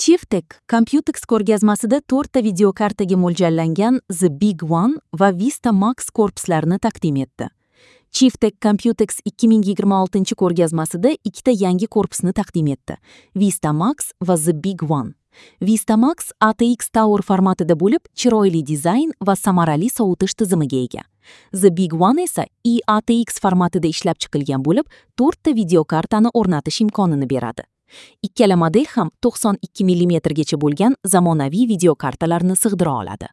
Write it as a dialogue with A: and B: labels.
A: Chieftec Computex ko'rgazmasida to'rtta videokartaga mo'ljallangan The Big One va Vista Max korpuslarini taqdim etdi. Chieftec Computex 2026 ko'rgazmasida ikkita yangi korpusni taqdim etdi: Vista Max va The Big One. Vista Max ATX Tower formatida bo'lib, chiroyli dizayn va samarali sovutish tizimiga ega. The Big One esa eATX formatida ishlab chiqilgan bo'lib, to'rtta videokartani o'rnatish imkonini beradi. Ikkala model ham 92 mm gacha bo'lgan zamonaviy videokartalarni sig'dira oladi.